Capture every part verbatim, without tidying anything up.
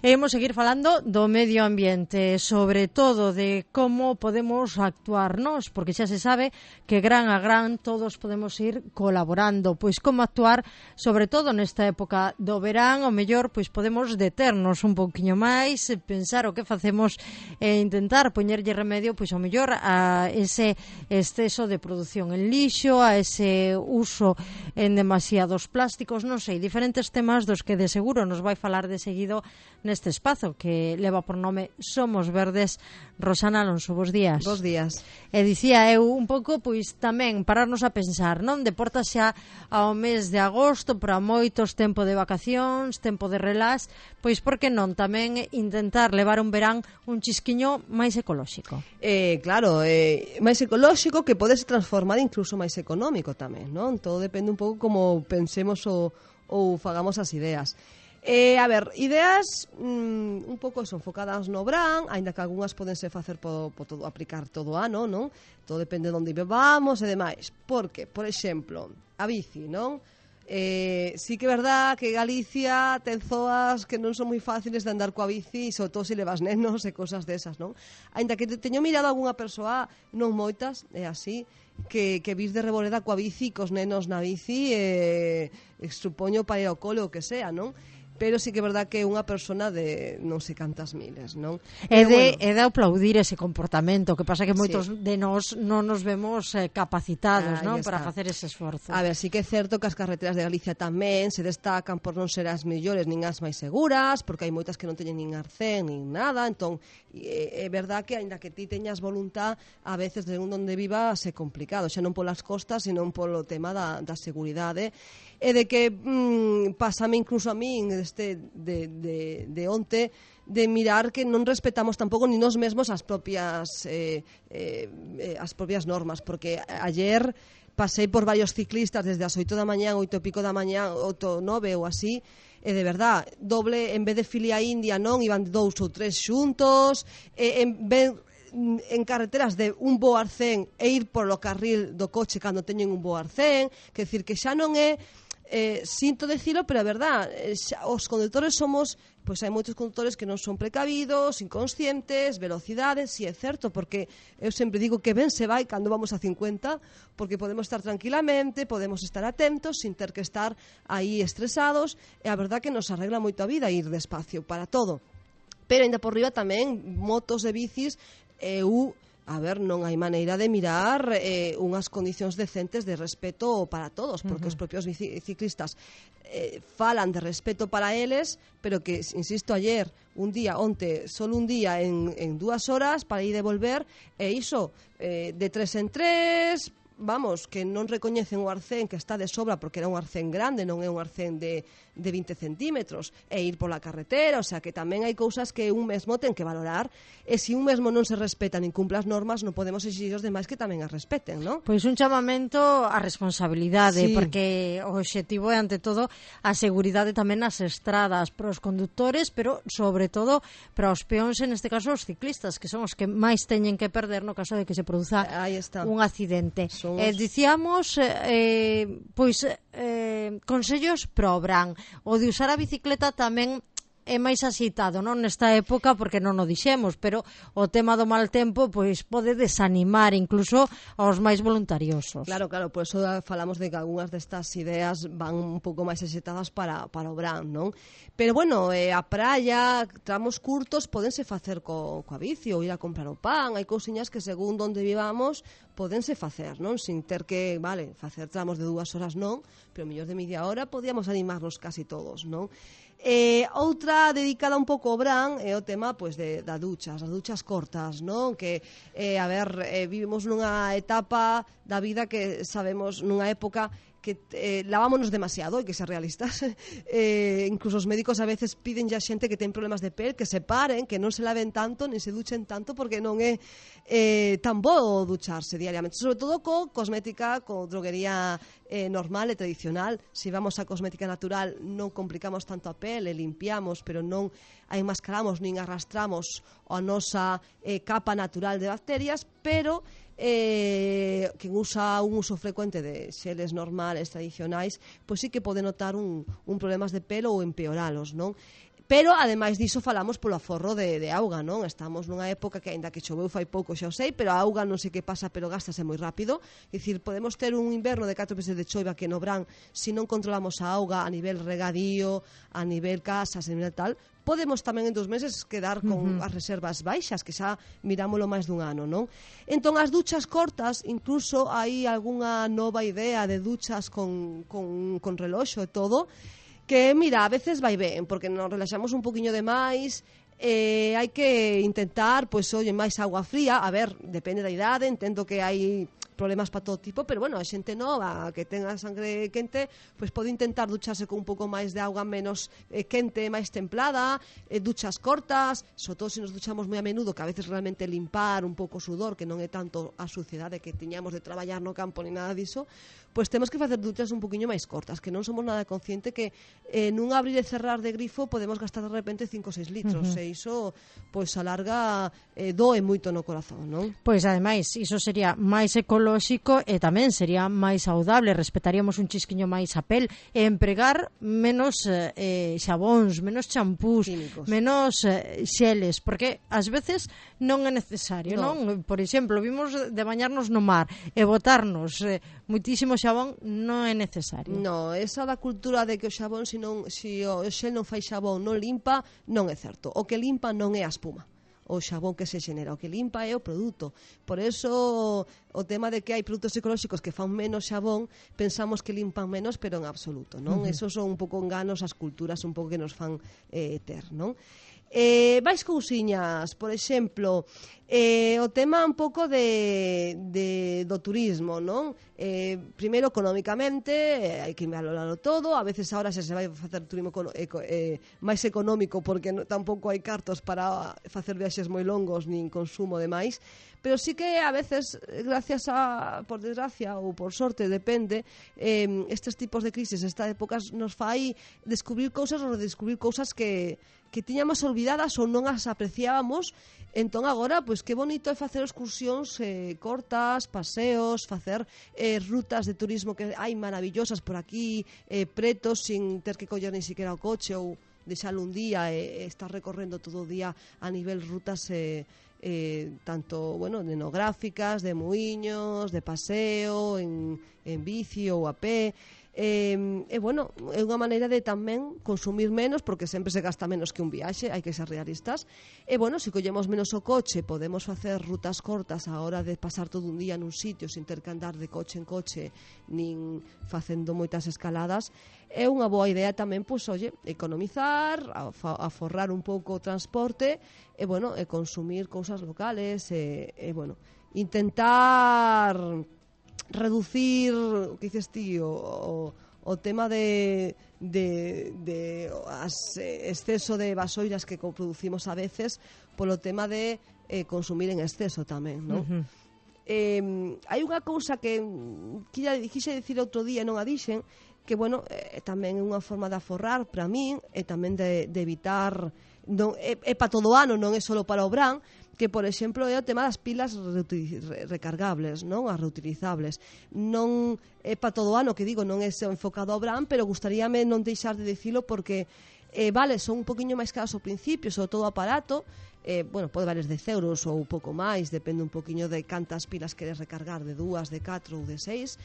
E imos seguir falando do medio ambiente, sobre todo de como podemos actuar nós, porque xa se sabe que gran a gran todos podemos ir colaborando. Pois como actuar, sobre todo nesta época do verán, o mellor pois podemos deternos un pouquiño máis, pensar o que facemos e intentar poñerlle remedio pois ao mellor a ese exceso de produción en lixo, a ese uso en demasiados plásticos, non sei, diferentes temas dos que de seguro nos vai falar de seguido neste espazo que leva por nome Somos Verdes. Rosana Alonso, bos días. Bos días. E dicía eu un pouco, pois tamén pararnos a pensar, non? De porta xa ao mes de agosto, para moitos tempo de vacacións, tempo de relax, pois por que non tamén intentar levar un verán un chisquiño máis ecolóxico? Eh, claro, eh, máis ecolóxico que pode se transformar incluso máis económico tamén, non? Todo depende un pouco como pensemos ou, ou fagamos as ideas. Eh, a ver, ideas mm, un pouco eso, enfocadas no verán, aínda que algunhas podense facer po, po todo, aplicar todo o ano, non? Todo depende de onde vivamos e demais. Porque, por exemplo, a bici, non? Eh, sí que é verdad que Galicia ten zoas que non son moi fáciles de andar coa bici, sobre todo se levas nenos e cosas desas, non? Aínda que te, teño mirado algunha persoa, non moitas, é así, que, que vis de reboleda coa bici, cos nenos na bici, e eh, supoño para ir ao cole ou que sea, non? Pero sí que é verdad que é unha persona de non sei cantas miles, non? É de, bueno, é de aplaudir ese comportamento, que pasa que moitos sí. de nós non nos vemos eh, capacitados, ah, non, para facer ese esforzo. A ver, sí que é certo que as carreteras de Galicia tamén se destacan por non ser as mellores nin as máis seguras, porque hai moitas que non teñen nin arcén nin nada, entón é, é verdad que aínda que ti teñas voluntad, a veces de un onde vivas é complicado, xa non polas costas, sino polo tema da, da seguridade, e de que mm, pásame incluso a min este, de, de, de onte de mirar que non respetamos tampouco ni nos mesmos as propias eh, eh, as propias normas, porque ayer pasei por varios ciclistas desde as oito da mañán, oito e pico da mañán, oito, nove ou así, e de verdad, doble, en vez de filia india, non, iban dous ou tres xuntos, e en vez en carreteras de un bo arcén e ir polo carril do coche cando teñen un bo arcén, que decir que xa non é Eh, sinto decilo, pero é verdad, eh, xa, os condutores somos, pois hai moitos condutores que non son precavidos, inconscientes, velocidades, si é certo, porque eu sempre digo que ben se vai cando vamos a cincuenta, porque podemos estar tranquilamente, podemos estar atentos, sin ter que estar aí estresados, e a verdad que nos arregla moito a vida ir despacio para todo. Pero ainda por riba tamén, motos e bicis, eu... A ver, non hai maneira de mirar eh, unhas condicións decentes de respeto para todos, porque uh-huh. os propios ciclistas eh, falan de respeto para eles, pero que, insisto, ayer, un día, onte, solo un día en, en dúas horas para ir e volver, e iso, eh, de tres en tres, vamos, que non recoñecen o arcén que está de sobra porque era un arcén grande, non é un arcén de, de vinte centímetros, e ir pola carretera, o sea que tamén hai cousas que un mesmo ten que valorar, e se un mesmo non se respeta nin cumpla as normas, non podemos exigir os demais que tamén as respeten, non? Pois un chamamento á responsabilidade, sí. porque o obxectivo é, ante todo, a seguridade tamén nas estradas para os condutores, pero, sobre todo, para os peóns, en este caso, os ciclistas, que son os que máis teñen que perder no caso de que se produza un accidente. So Eh, dicíamos, eh, pois, eh, consellos para o verán. O de usar a bicicleta tamén é máis axitado, non, nesta época, porque non o dixemos, pero o tema do mal tempo pois pode desanimar incluso aos máis voluntariosos. Claro, claro, por eso falamos de que algunhas destas ideas van un pouco máis axitadas para, para o verán, non? Pero bueno, eh, a praia, tramos curtos, podense facer co, coa bici ou ir a comprar o pan, hai cousiñas que según onde vivamos podense facer, non? Sin ter que, vale, facer tramos de dúas horas non, pero mellor de media hora podíamos animarnos casi todos, non? Eh, outra dedicada un pouco ao verán é o tema pois de da duchas, as duchas cortas, non? Que eh, a ver, eh, vivimos nunha etapa da vida que sabemos nunha época que eh, lavámonos demasiado, hai que ser realistas. Eh, incluso os médicos a veces piden ya xente que ten problemas de pel que se paren, que non se laven tanto, nin se duchen tanto, porque non é eh, tan bo ducharse diariamente, sobre todo co cosmética, co droguería eh, normal e tradicional. Se vamos a cosmética natural non complicamos tanto a pel e limpiamos, pero non a enmascaramos nin arrastramos a nosa eh, capa natural de bacterias, pero eh, quen usa un uso frecuente de xeles normales, tradicionais, pois sí que pode notar un, un problemas de pelo ou empeoralos, non? Pero, ademais diso, falamos polo aforro de, de auga, non? Estamos nunha época que, aínda que choveu fai pouco, xa o sei, pero a auga non sei que pasa, pero gástase moi rápido. É dicir, podemos ter un inverno de catro meses de choiva que no verán, se non controlamos a auga a nivel regadío, a nivel casas, a nivel tal, podemos tamén en dos meses quedar con uh -huh. as reservas baixas, que xa mirámoslo máis dun ano, non? Entón, as duchas cortas, incluso hai algunha nova idea de duchas con, con, con reloxo e todo, que, mira, a veces vai ben, porque nos relaxamos un poquinho de máis, eh, hai que intentar, pois, oye, máis agua fría, a ver, depende da idade, entendo que hai problemas para todo tipo, pero bueno, a xente nova que tenga sangre quente, pois pode intentar ducharse con un pouco máis de auga menos eh, quente, máis templada, eh, duchas cortas, sobre todo se nos duchamos moi a menudo, que a veces realmente limpar un pouco o sudor, que non é tanto a suciedade que tiñamos de traballar no campo ni nada diso, pois temos que facer duchas un poquinho máis cortas, que non somos nada consciente que eh, nun abrir e cerrar de grifo podemos gastar de repente cinco ou seis litros, uh -huh. e iso pois a larga eh, doe moito no corazón, non? Pois ademais, iso sería máis ecolóxico e tamén sería máis saudable, respetaríamos un chisquiño máis a pel e empregar menos eh, xabóns, menos champús, químicos, menos eh, xeles, porque ás veces non é necesario, no. non? Por exemplo, vimos de bañarnos no mar e botarnos eh, moitísimo xabón, non é necesario. No, esa da cultura de que o xabón, se non, se o xel non fai xabón, non limpa, non é certo. O que limpa non é a espuma, o xabón que se xenera, o que limpa é o produto. Por eso o tema de que hai produtos ecolóxicos que fan menos xabón, pensamos que limpan menos, pero en absoluto, non? Uh -huh. Esos son un pouco enganos as culturas un pouco que nos fan eh, ter, non? Eh, vais cousiñas, por exemplo, eh, o tema un pouco de, de, do turismo, non? Eh, primeiro, económicamente, eh, hai que valorarlo todo, a veces ahora se se vai facer turismo eco, eh, máis económico porque no, tampouco hai cartos para facer viaxes moi longos nin consumo de máis, pero sí que a veces, gracias a, por desgracia ou por sorte, depende, eh, estes tipos de crisis, estas épocas nos fai descubrir cousas ou redescubrir cousas que que tiñamos olvidadas ou non as apreciábamos. Entón agora, pois que bonito é facer excursións eh, cortas, paseos, facer eh, rutas de turismo que hai maravillosas por aquí, eh, pretos, sin ter que coller ni siquiera o coche ou deixalo un día e eh, estar recorrendo todo o día a nivel rutas eh, eh, tanto, bueno, etnográficas, de muiños, de paseo, en, en bici ou a pé. Eh, e, bueno, é unha maneira de tamén consumir menos, porque sempre se gasta menos que un viaxe, hai que ser realistas. E, bueno, se collemos menos o coche, podemos facer rutas cortas a hora de pasar todo un día nun sitio sin ter que andar de coche en coche, nin facendo moitas escaladas. É unha boa idea tamén, pois, oye, economizar, aforrar un pouco o transporte, e, bueno, e consumir cousas locales, e, e bueno, intentar reducir, o que dices ti, o, o, o tema de, de, de as, exceso de vasoiras que producimos a veces, polo tema de eh, consumir en exceso tamén, non? Uh -huh. eh, hai unha cousa que quise dicir outro día, non a dixen, que, bueno, eh, tamén é unha forma de aforrar para min, e tamén de, de evitar, non, é, é para todo o ano, non é só para o verán, que, por exemplo, é o tema das pilas recargables, non? As reutilizables. Non é para todo o ano, que digo, non é enfocado ao verán, pero gustaríame non deixar de dicilo porque, eh, vale, son un poquinho máis caras ao principio, sobre todo o aparato, eh, bueno, pode valer dez euros ou un pouco máis, depende un poquinho de cantas pilas queres recargar, de dúas, de catro ou de seis,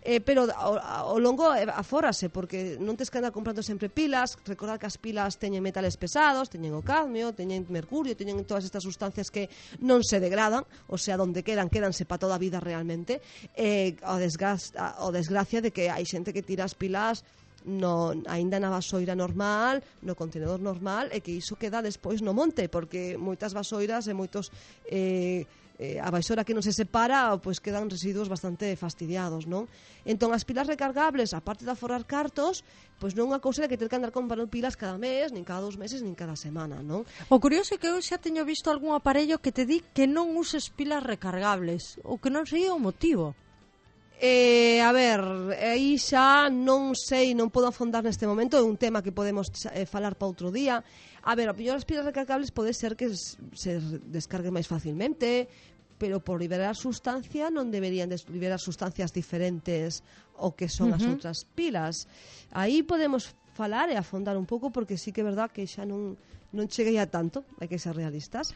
eh, pero ao, ao longo afórase, porque non tes que andar comprando sempre pilas. Recordar que as pilas teñen metales pesados, teñen o cadmio, teñen mercurio, teñen todas estas sustancias que non se degradan, o sea, donde quedan, quedanse para toda a vida realmente, eh, o, desgracia, o desgracia de que hai xente que tira as pilas no, aínda na vasoira normal, no contenedor normal, e que iso queda despois no monte, porque moitas vasoiras e moitos eh, eh, a vasoira que non se separa, pois quedan residuos bastante fastidiados, non? Entón, as pilas recargables, aparte de aforrar cartos, pois non é unha cousa de que ter que andar comprando pilas cada mes, nin cada dos meses, nin cada semana, non? O curioso é que eu xa teño visto algún aparello que te di que non uses pilas recargables, ou que non sei o motivo. Eh, a ver, aí xa non sei, non podo afondar neste momento, é un tema que podemos eh, falar para outro día. A ver, a mellor as pilas recargables pode ser que se descarguen máis facilmente, pero por liberar sustancia non deberían liberar sustancias diferentes ao que son uh -huh. as outras pilas. Aí podemos falar e afondar un pouco, porque sí que é verdad que xa non, non cheguei a tanto, hai que ser realistas.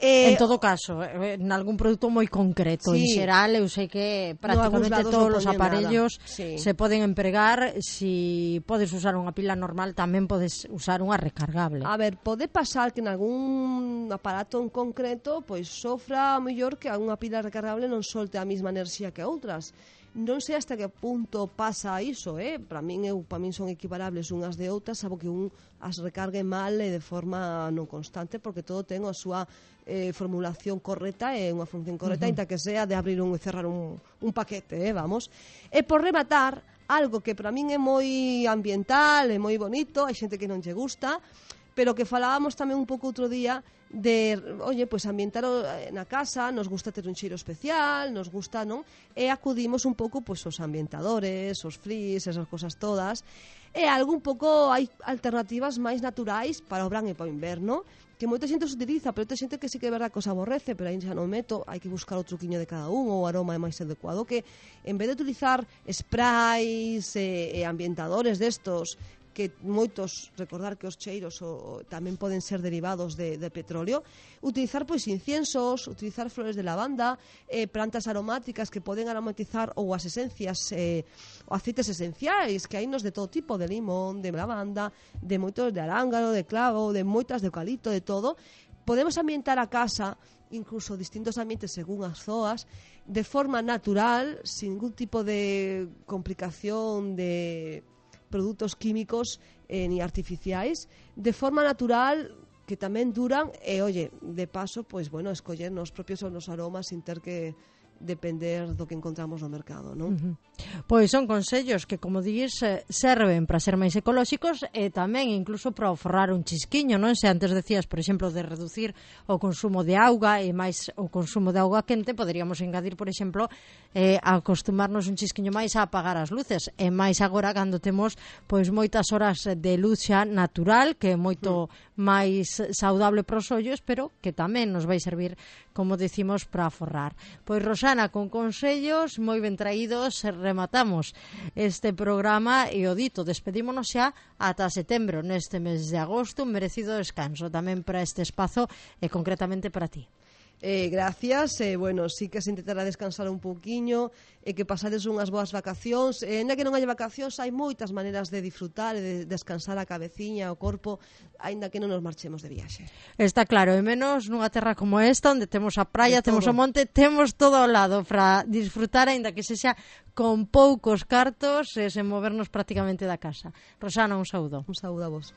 Eh, en todo caso, en algún produto moi concreto, sí. En xeral eu sei que prácticamente no, todos os aparellos sí. se poden empregar. Si podes usar unha pila normal, tamén podes usar unha recargable. A ver, pode pasar que en algún aparato en concreto pois sofra mellor que unha pila recargable non solte a mesma enerxía que outras. Non sei hasta que punto pasa iso, eh? Para min, eu, para min son equiparables unhas de outras, salvo que un as recargue mal e de forma non constante, porque todo ten a súa eh, formulación correcta e unha función correcta, uh-huh. Inta que sea de abrir un e cerrar un, un paquete, eh, vamos. E por rematar, algo que para min é moi ambiental, é moi bonito, hai xente que non lle gusta, pero que falábamos tamén un pouco outro día de, oye, pois pues ambientar na casa, nos gusta ter un cheiro especial, nos gusta, non? E acudimos un pouco pois pues, os ambientadores, os frizz, esas cosas todas. E algo un pouco, hai alternativas máis naturais para o verán e para o inverno, que moita xente se utiliza, pero outra xente que sí que é verdad que os aborrece, pero aí xa non meto, hai que buscar o truquiño de cada un, ou o aroma é máis adecuado, que en vez de utilizar sprays e, e ambientadores destos, que moitos, recordar que os cheiros o, tamén poden ser derivados de, de petróleo, utilizar pois inciensos, utilizar flores de lavanda, eh, plantas aromáticas que poden aromatizar, ou as esencias, eh, ou aceites esenciais, que hai nos de todo tipo, de limón, de lavanda, de moitos de arángano, de clavo, de moitas de eucalipto, de todo. Podemos ambientar a casa, incluso distintos ambientes según as zoas, de forma natural, sin ningún tipo de complicación de produtos químicos eh, ni artificiais, de forma natural, que tamén duran, e, oye, de paso, pois, bueno, escoller nos propios os aromas sin ter que depender do que encontramos no mercado, non? Uh-huh. Pois son consellos que, como dís, serven para ser máis ecolóxicos e tamén incluso para forrar un chisquiño, non? Se antes decías, por exemplo, de reducir o consumo de auga e máis o consumo de auga quente, poderíamos engadir, por exemplo, eh, acostumarnos un chisquiño máis a apagar as luces, e máis agora cando temos pois moitas horas de luz xa natural, que é moito mm. máis saudable para os ollos, pero que tamén nos vai servir, como decimos, para forrar. Pois, Rosana, con consellos moi ben traídos, rematamos este programa e o dito, despedímonos xa ata setembro, neste mes de agosto, un merecido descanso tamén para este espazo e concretamente para ti. Eh, gracias, eh, bueno, sí que se intentará descansar un pouquiño e eh, que pasades unhas boas vacacións, e eh, ainda que non hai vacacións, hai moitas maneiras de disfrutar e de descansar a cabeciña, o corpo, aínda que non nos marchemos de viaxe. Está claro, e menos nunha terra como esta, onde temos a praia, temos o monte, temos todo ao lado para disfrutar, aínda que sexa con poucos cartos e sen movernos prácticamente da casa. Rosana, un saúdo. Un saúdo a vos.